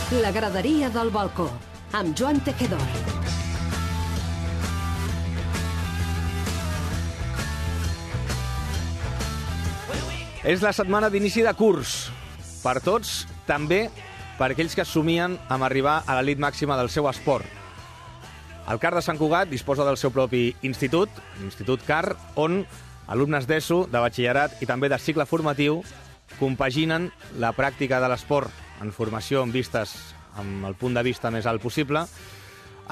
La graderia del balcó, amb Joan Tejedor. És la setmana d'inici de curs. Per tots, també per aquells que es somien amb arribar a l'elit màxima del seu esport. El CAR de Sant Cugat disposa del seu propi institut, l'Institut CAR, on alumnes d'ESO, de batxillerat i també de cicle formatiu compaginen la pràctica de l'esport en formació amb vistes amb el punt de vista més alt possible,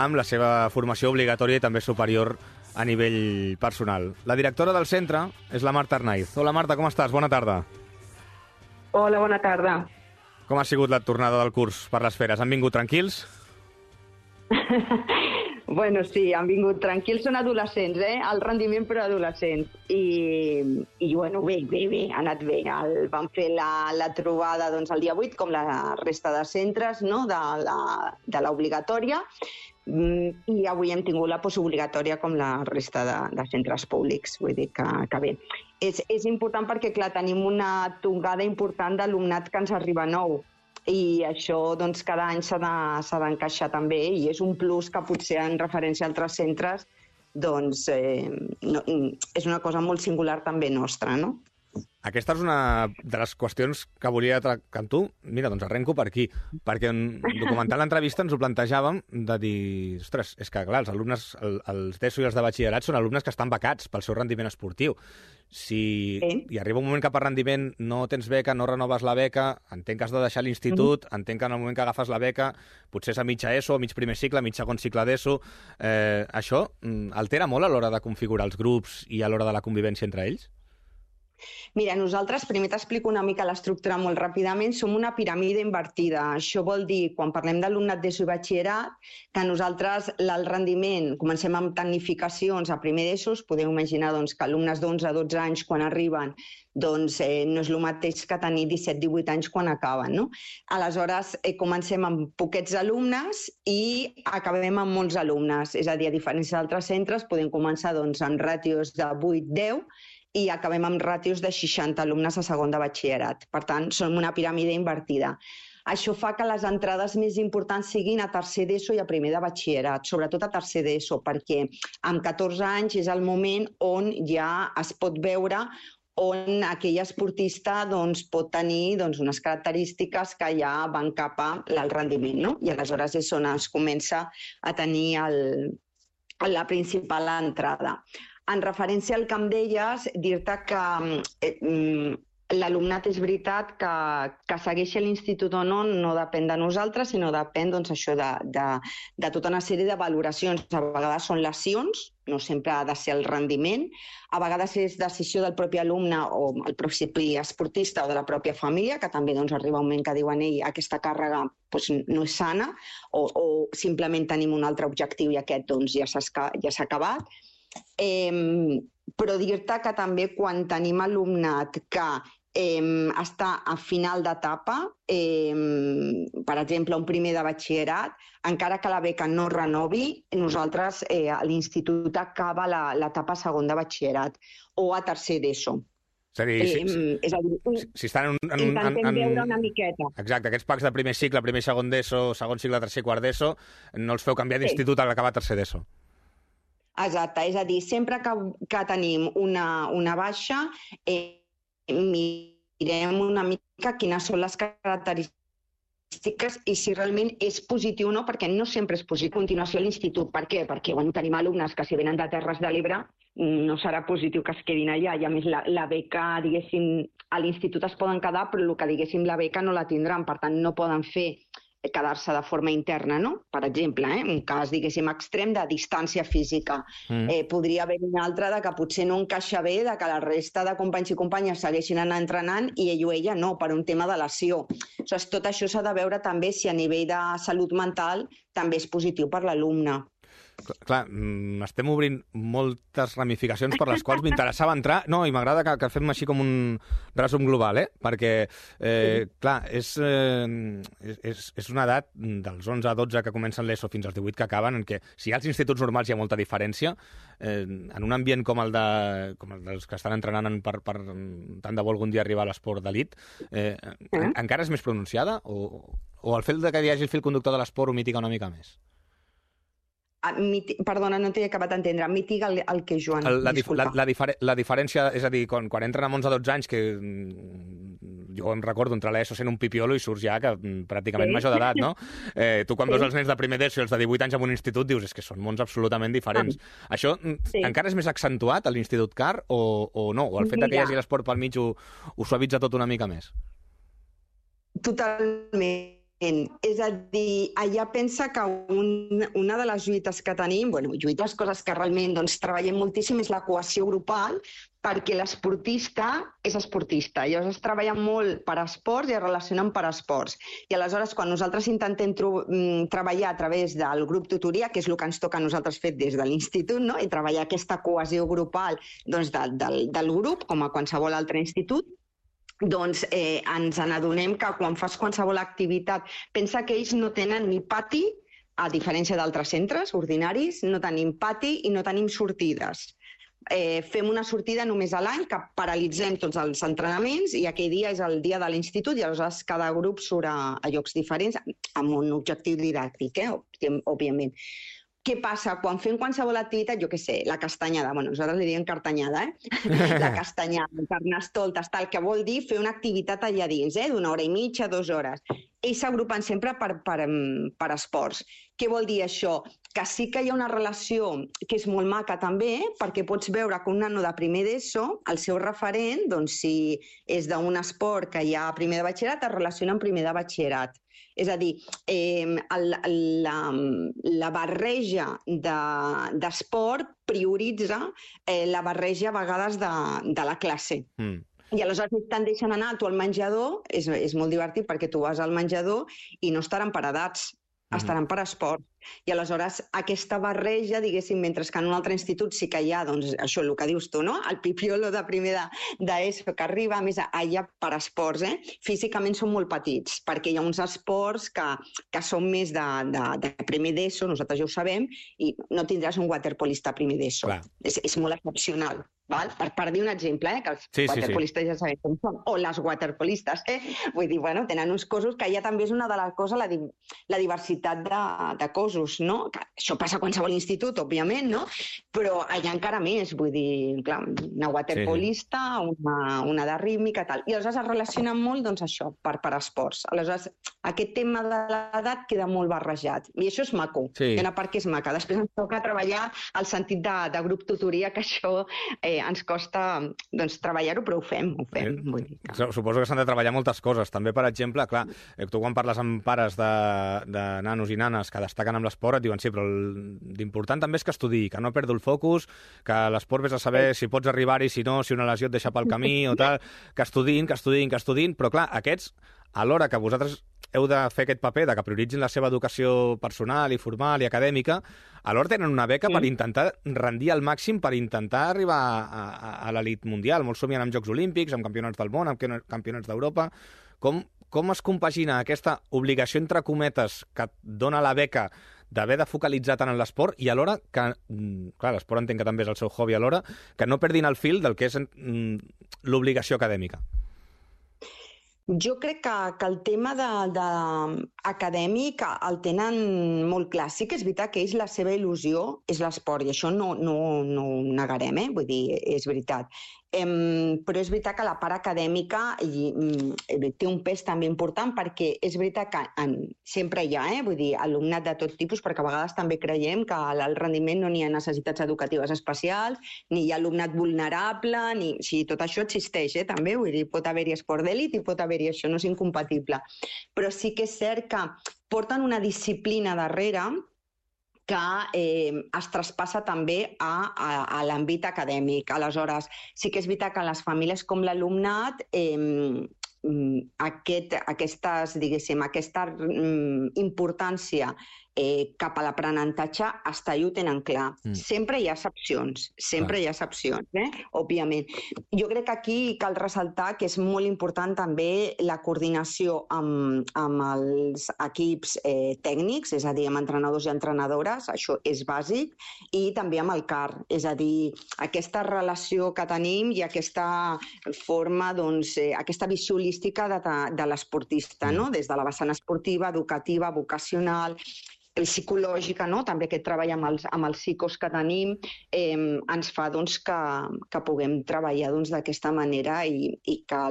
amb la seva formació obligatòria i també superior a nivell personal. La directora del centre és la Marta Arnaiz. Hola Marta, com estàs? Bona tarda. Hola, bona tarda. Com ha sigut la tornada del curs per les feres? Han vingut tranquils? Bueno, sí, han vingut tranquils, són adolescents, el rendiment per adolescents. I bueno, bé, ha anat bé. Vam fer la trobada doncs, el dia 8, com la resta de centres, no? de l'obligatòria, i avui hem tingut la postobligatòria com la resta de centres públics, vull dir que bé. És important perquè, clar, tenim una tongada important d'alumnat que ens arriba nou, i això doncs, cada any s'ha d'encaixar també, i és un plus que potser en referència a altres centres doncs, és una cosa molt singular també nostra, no? Aquesta és una de les qüestions que volia tractar amb tu. Mira, doncs arrenco per aquí, perquè documentant l'entrevista ens ho plantejàvem de dir, ostres, és que clar, els alumnes, els d'ESO i els de batxillerat són alumnes que estan becats pel seu rendiment esportiu. Si hi arriba un moment que per rendiment no tens beca, no renoves la beca, entenc que has de deixar l'institut, entenc que en el moment que agafes la beca, potser és a mitja ESO, a mig primer cicle, a mig segon cicle d'ESO, això altera molt a l'hora de configurar els grups i a l'hora de la convivència entre ells? Mira, nosaltres, primer t'explico una mica l'estructura molt ràpidament, som una piràmide invertida. Això vol dir, quan parlem d'alumnat d'ESO i batxillerat, que nosaltres el rendiment, comencem amb tecnificacions a primer d'ESO, podeu imaginar doncs, que alumnes d'11 a 12 anys quan arriben doncs, no és el mateix que tenir 17-18 anys quan acaben, no? Aleshores, comencem amb poquets alumnes i acabem amb molts alumnes. És a dir, a diferència d'altres centres, podem començar doncs, amb ràtios de 8-10 i acabem amb ràtios de 60 alumnes a segon de batxillerat. Per tant, som una piràmide invertida. Això fa que les entrades més importants siguin a tercer d'ESO i a primer de batxillerat, sobretot a tercer d'ESO, perquè amb 14 anys és el moment on ja es pot veure on aquell esportista doncs, pot tenir doncs, unes característiques que ja van cap al rendiment, no? I aleshores és on es comença a tenir la principal entrada. En referència al que em deies, dir-te que l'alumnat és veritat que segueixi l'institut o no depèn de nosaltres, sinó depèn doncs, això de tota una sèrie de valoracions. A vegades són lesions, no sempre ha de ser el rendiment, a vegades és decisió del propi alumne o el propi esportista o de la pròpia família, que també doncs, arriba un moment que diuen aquesta càrrega doncs, no és sana, o simplement tenim un altre objectiu i aquest doncs, ja s'ha acabat. Però dir-te que també quan tenim alumnat que està a final d'etapa, per exemple, un primer de batxillerat, encara que la beca no renovi, nosaltres l'institut acaba l'etapa segon de batxillerat o a tercer d'ESO. És a dir, si estan intentem veure una miqueta. Exacte, aquests packs de primer cicle, primer i segon d'ESO, segon cicle, tercer i quart d'ESO, no els feu canviar d'institut a l'acabar tercer d'ESO. Exacte, és a dir, sempre que tenim una baixa, mirem una mica quines són les característiques i si realment és positiu o no, perquè no sempre és positiu a continuació a l'institut. Per què? Perquè tenim alumnes que si venen de Terres de l'Ebre no serà positiu que es quedin allà i a més la beca, diguéssim, a l'institut es poden quedar però el que diguéssim la beca no la tindran, per tant no poden quedar-se de forma interna, no? Per exemple, un cas, diguéssim, extrem de distància física. Podria haver un altre de que potser no encaixa bé, de que la resta de companys i companyes segueixin anar entrenant i ell o ella no, per un tema de lesió. Tot això s'ha de veure també si a nivell de salut mental també és positiu per l'alumne. Clar, estem obrint moltes ramificacions per les quals m'interessava entrar. No, i m'agrada que fem així com un resum global, perquè, clar, és una edat dels 11 a 12 que comencen l'ESO fins als 18 que acaben, en què si als instituts normals hi ha molta diferència, en un ambient com el dels que estan entrenant per tant de bo algun dia arribar a l'esport d'elit, encara és més pronunciada? O el fet que hi hagi el fil conductor de l'esport ho mitiga una mica més? Perdona, no t'he acabat d'entendre. Mitiga el que, Joan? La diferència, és a dir, quan entren amb 11 o 12 anys, que jo em recordo entrar a l'ESO sent un pipiolo i surts ja que pràcticament major d'edat, no? Tu quan veus els nens de primer d'ESO i els de 18 anys en un institut dius que són mons absolutament diferents. Això encara és més accentuat a l'Institut CAR o no? O el fet que hi hagi l'esport pel mig ho suavitza tot una mica més? Totalment. És a dir, allà pensa que una de les lluites que tenim, lluites, coses que realment treballem moltíssim, és la cohesió grupal, perquè l'esportista és esportista. Llavors es treballa molt per esports i es relacionen per esports. I aleshores, quan nosaltres intentem treballar a través del grup tutoria, que és el que ens toca a nosaltres fer des de l'institut, no? I treballar aquesta cohesió grupal del grup, com a qualsevol altre institut, ens n'adonem que quan fas qualsevol activitat, pensa que ells no tenen ni pati, a diferència d'altres centres ordinaris, no tenim pati i no tenim sortides. Fem una sortida només a l'any, que paralitzem tots els entrenaments, i aquell dia és el dia de l'institut, i aleshores cada grup surt a llocs diferents, amb un objectiu didàctic, òbviament. Què passa? Quan fem qualsevol activitat, jo què sé, la castanyada, nosaltres li diem cartanyada, la castanyada, carnestoltes, tal, que vol dir fer una activitat allà dins, d'una hora i mitja, 2 hores. Ells s'agrupen sempre per esports. Què vol dir això? Que sí que hi ha una relació que és molt maca també, perquè pots veure que un nano de primer d'ESO, el seu referent, si és d'un esport que hi ha a primer de batxillerat, es relaciona amb primer de batxillerat. És a dir, la barreja d'esport prioritza la barreja a vegades de la classe. I aleshores te'n deixen anar tu al menjador, és molt divertit perquè tu vas al menjador i no estaran per edats, estaran per esport. I aleshores aquesta barreja, diguéssim, mentre que en un altre institut sí que hi ha, això, el que dius tu, no? El pipiolo de primer d'ESO que arriba, a més, allà per esports, físicament són molt petits, perquè hi ha uns esports que són més de primer d'ESO, nosaltres ja ho sabem, i no tindràs un waterpolista a primer d'ESO. És molt excepcional. Per dir un exemple, que els waterpolistes ja sabem com són, o les waterpolistes, vull dir, tenen uns cossos que ja també és una de les coses, la diversitat de cossos, no? Això passa a qualsevol institut, òbviament, no? Però allà encara més, vull dir, clar, una waterpolista, una de rítmica, tal. I aleshores es relacionen molt, això, per esports. Aleshores, aquest tema de l'edat queda molt barrejat. I això és maco, hi ha una part que és maca. Després ens toca treballar el sentit de grup tutoria, que això ens costa treballar-ho, però ho fem. Vull dir que... Suposo que s'han de treballar moltes coses. També, per exemple, clar, tu quan parles amb pares de nanos i nanes que destaquen amb l'esport, et diuen sí, però l'important també és que estudiï, que no perdo el focus, que l'esport vés a saber si pots arribar-hi, si no, si una lesió et deixa pel camí o tal, que estudiïn, però clar, aquests, alhora que vosaltres heu de fer aquest paper de que prioritzin la seva educació personal i formal i acadèmica, alhora tenen una beca per intentar rendir al màxim, per intentar arribar a l'elit mundial. Molts somien amb Jocs Olímpics, amb campionats del món, amb campionats d'Europa. Com es compagina aquesta obligació, entre cometes, que et dona la beca d'haver de focalitzar tant en l'esport i alhora que, clar, l'esport entenc que també és el seu hobby alhora, que no perdin el fil del que és l'obligació acadèmica? Jo crec que el tema acadèmic el tenen molt clar. Sí que és veritat que ells la seva il·lusió és l'esport i això no ho negarem, vull dir, és veritat. Però és veritat que la part acadèmica té un pes també important perquè és veritat que sempre hi ha, vull dir, alumnat de tot tipus, perquè a vegades també creiem que al rendiment no n'hi ha necessitats educatives especials, ni hi ha alumnat vulnerable, tot això existeix, també, vull dir, pot haver-hi esport d'elit i pot haver-hi això, no és incompatible. Però sí que és cert que porten una disciplina darrere que es traspassa també a l'àmbit acadèmic. Aleshores, sí que és veritat que les famílies com l'alumnat aquesta importància cap a l'aprenentatge està i ho tenen clar. Sempre hi ha excepcions, òbviament. Jo crec que aquí cal ressaltar que és molt important també la coordinació amb els equips tècnics, és a dir, amb entrenadors i entrenadores, això és bàsic, i també amb el CAR, és a dir, aquesta relació que tenim i aquesta forma, doncs, aquesta visió holística de l'esportista, no? Des de la vessant esportiva, educativa, vocacional, psicològica, no? També aquest treball amb els psicos que tenim ens fa doncs, que puguem treballar d'aquesta manera i que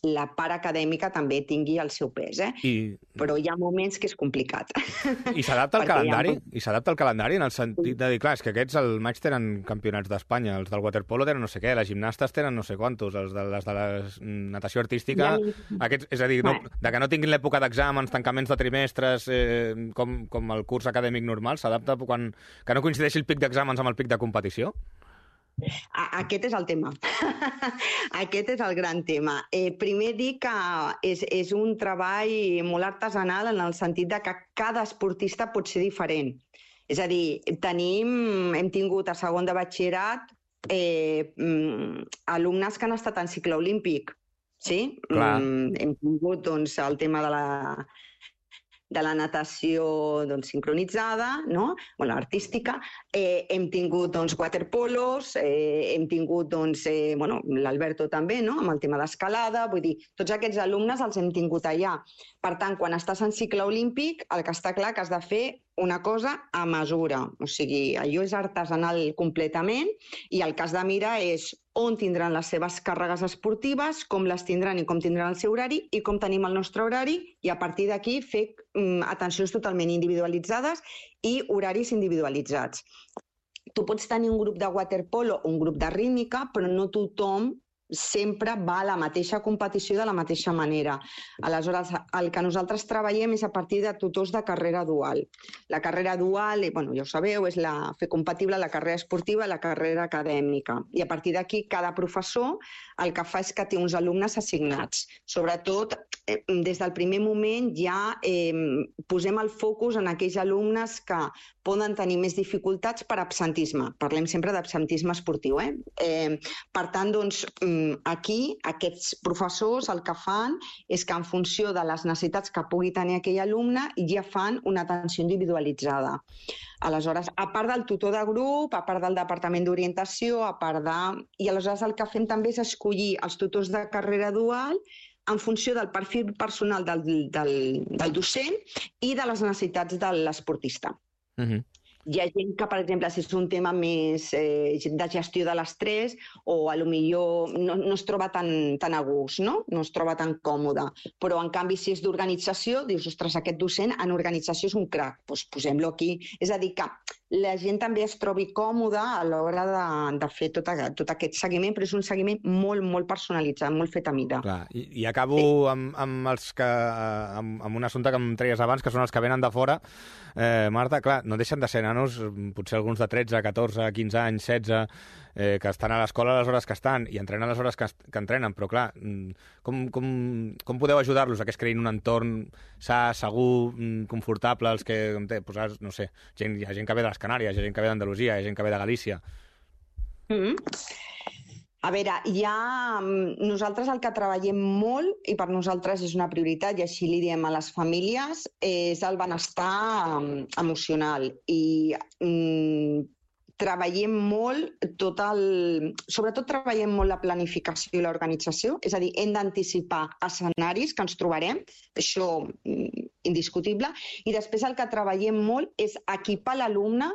la part acadèmica també tingui el seu pes. Però hi ha moments que és complicat. I s'adapta al calendari? I s'adapta al calendari en el sentit de dir, clar, és que aquests al maig tenen campionats d'Espanya, els del waterpolo tenen no sé què, les gimnastes tenen no sé quantos, les de la natació artística... És a dir, de que no tinguin l'època d'exàmens, tancaments de trimestres, com el curs acadèmic normal, s'adapta que no coincideixi el pic d'exàmens amb el pic de competició? Aquest és el tema. Aquest és el gran tema. Primer dir que és un treball molt artesanal en el sentit de que cada esportista pot ser diferent. És a dir, hem tingut a segon de batxillerat alumnes que han estat en cicle olímpic. Sí? Hem tingut el tema de la natació sincronitzada, artística, hem tingut waterpolos, hem tingut l'Alberto també, amb el tema d'escalada, vull dir, tots aquests alumnes els hem tingut allà. Per tant, quan estàs en cicle olímpic, el que està clar que has de fer una cosa a mesura, o sigui, allò és artesanal completament i el que has de mirar és on tindran les seves càrregues esportives, com les tindran i com tindran el seu horari i com tenim el nostre horari i a partir d'aquí fer atencions totalment individualitzades i horaris individualitzats. Tu pots tenir un grup de waterpolo o un grup de rítmica, però no tothom sempre va a la mateixa competició de la mateixa manera. Aleshores, el que nosaltres treballem és a partir de tutors de carrera dual. La carrera dual, ja ho sabeu, és fer compatible la carrera esportiva i la carrera acadèmica. I a partir d'aquí, cada professor el que fa és que té uns alumnes assignats. Sobretot, des del primer moment ja posem el focus en aquells alumnes que poden tenir més dificultats per absentisme. Parlem sempre d'absentisme esportiu. Per tant, doncs, aquí aquests professors el que fan és que en funció de les necessitats que pugui tenir aquell alumne ja fan una atenció individualitzada. Aleshores, a part del tutor de grup, a part del departament d'orientació, i aleshores el que fem també és escollir els tutors de carrera dual en funció del perfil personal del docent i de les necessitats de l'esportista. Hi ha gent que, per exemple, si és un tema més de gestió de l'estrès o potser no es troba tan a gust, no es troba tan còmode. Però, en canvi, si és d'organització, dius, ostres, aquest docent en organització és un crac, doncs posem-lo aquí. És a dir, que la gent també es trobi còmoda a l'hora de fer tot aquest seguiment, però és un seguiment molt, molt personalitzat, molt fet a mida. Clar, i acabo amb un assumpte que em treies abans, que són els que venen de fora. Marta, clar, no deixen de ser nanos, potser alguns de 13, 14, 15 anys, 16, que estan a l'escola a les hores que estan i entrenen a les hores que entrenen, però clar, com podeu ajudar-los a que es creïn un entorn sa, segur, confortable, els que, no sé, hi ha gent que ve de les Canàries, hi ha gent que ve d'Andalusia, hi ha gent que ve de Galícia. A veure, nosaltres el que treballem molt, i per nosaltres és una prioritat, i així li diem a les famílies, és el benestar emocional. I treballem molt sobretot treballem molt la planificació i l'organització, és a dir, hem d'anticipar escenaris que ens trobarem, això indiscutible, i després el que treballem molt és equipar l'alumne,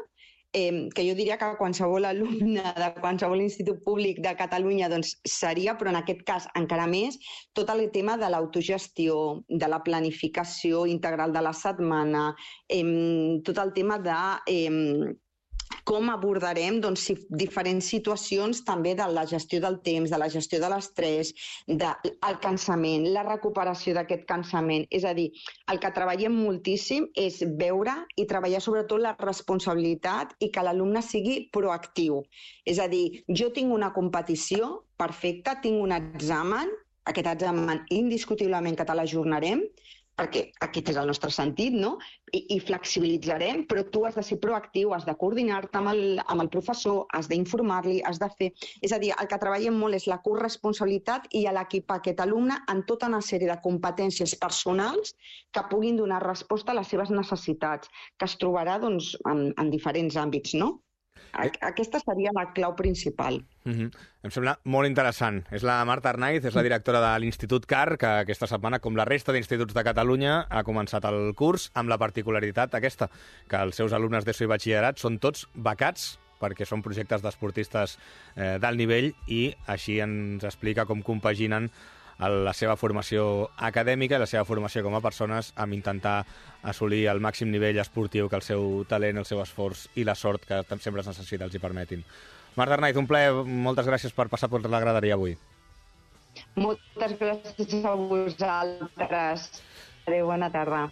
que jo diria que qualsevol alumne de qualsevol institut públic de Catalunya doncs seria, però en aquest cas encara més, tot el tema de l'autogestió, de la planificació integral de la setmana, tot el tema de com abordarem diferents situacions també de la gestió del temps, de la gestió de l'estrès, del cansament, la recuperació d'aquest cansament. És a dir, el que treballem moltíssim és veure i treballar sobretot la responsabilitat i que l'alumne sigui proactiu. És a dir, jo tinc una competició perfecta, tinc un examen, aquest examen indiscutiblement que te l'ajornarem, perquè aquest és el nostre sentit, no? I flexibilitzarem, però tu has de ser proactiu, has de coordinar-te amb el professor, has d'informar-li, has de fer... És a dir, el que treballem molt és la corresponsabilitat i l'equipar aquest alumne en tota una sèrie de competències personals que puguin donar resposta a les seves necessitats, que es trobarà doncs, en diferents àmbits, no? Aquesta seria la clau principal. Em sembla molt interessant. És la Marta Arnaiz, és la directora de l'Institut CAR, que aquesta setmana, com la resta d'instituts de Catalunya, ha començat el curs amb la particularitat aquesta, que els seus alumnes d'ESO i batxillerat són tots becats perquè són projectes d'esportistes d'alt nivell i així ens explica com compaginen la seva formació acadèmica i la seva formació com a persones amb intentar assolir el màxim nivell esportiu que el seu talent, el seu esforç i la sort que sempre es necessita els hi permetin. Marta Arnaiz, un plaer, moltes gràcies per passar per la graderia avui. Moltes gràcies a vosaltres. Adéu, bona tarda.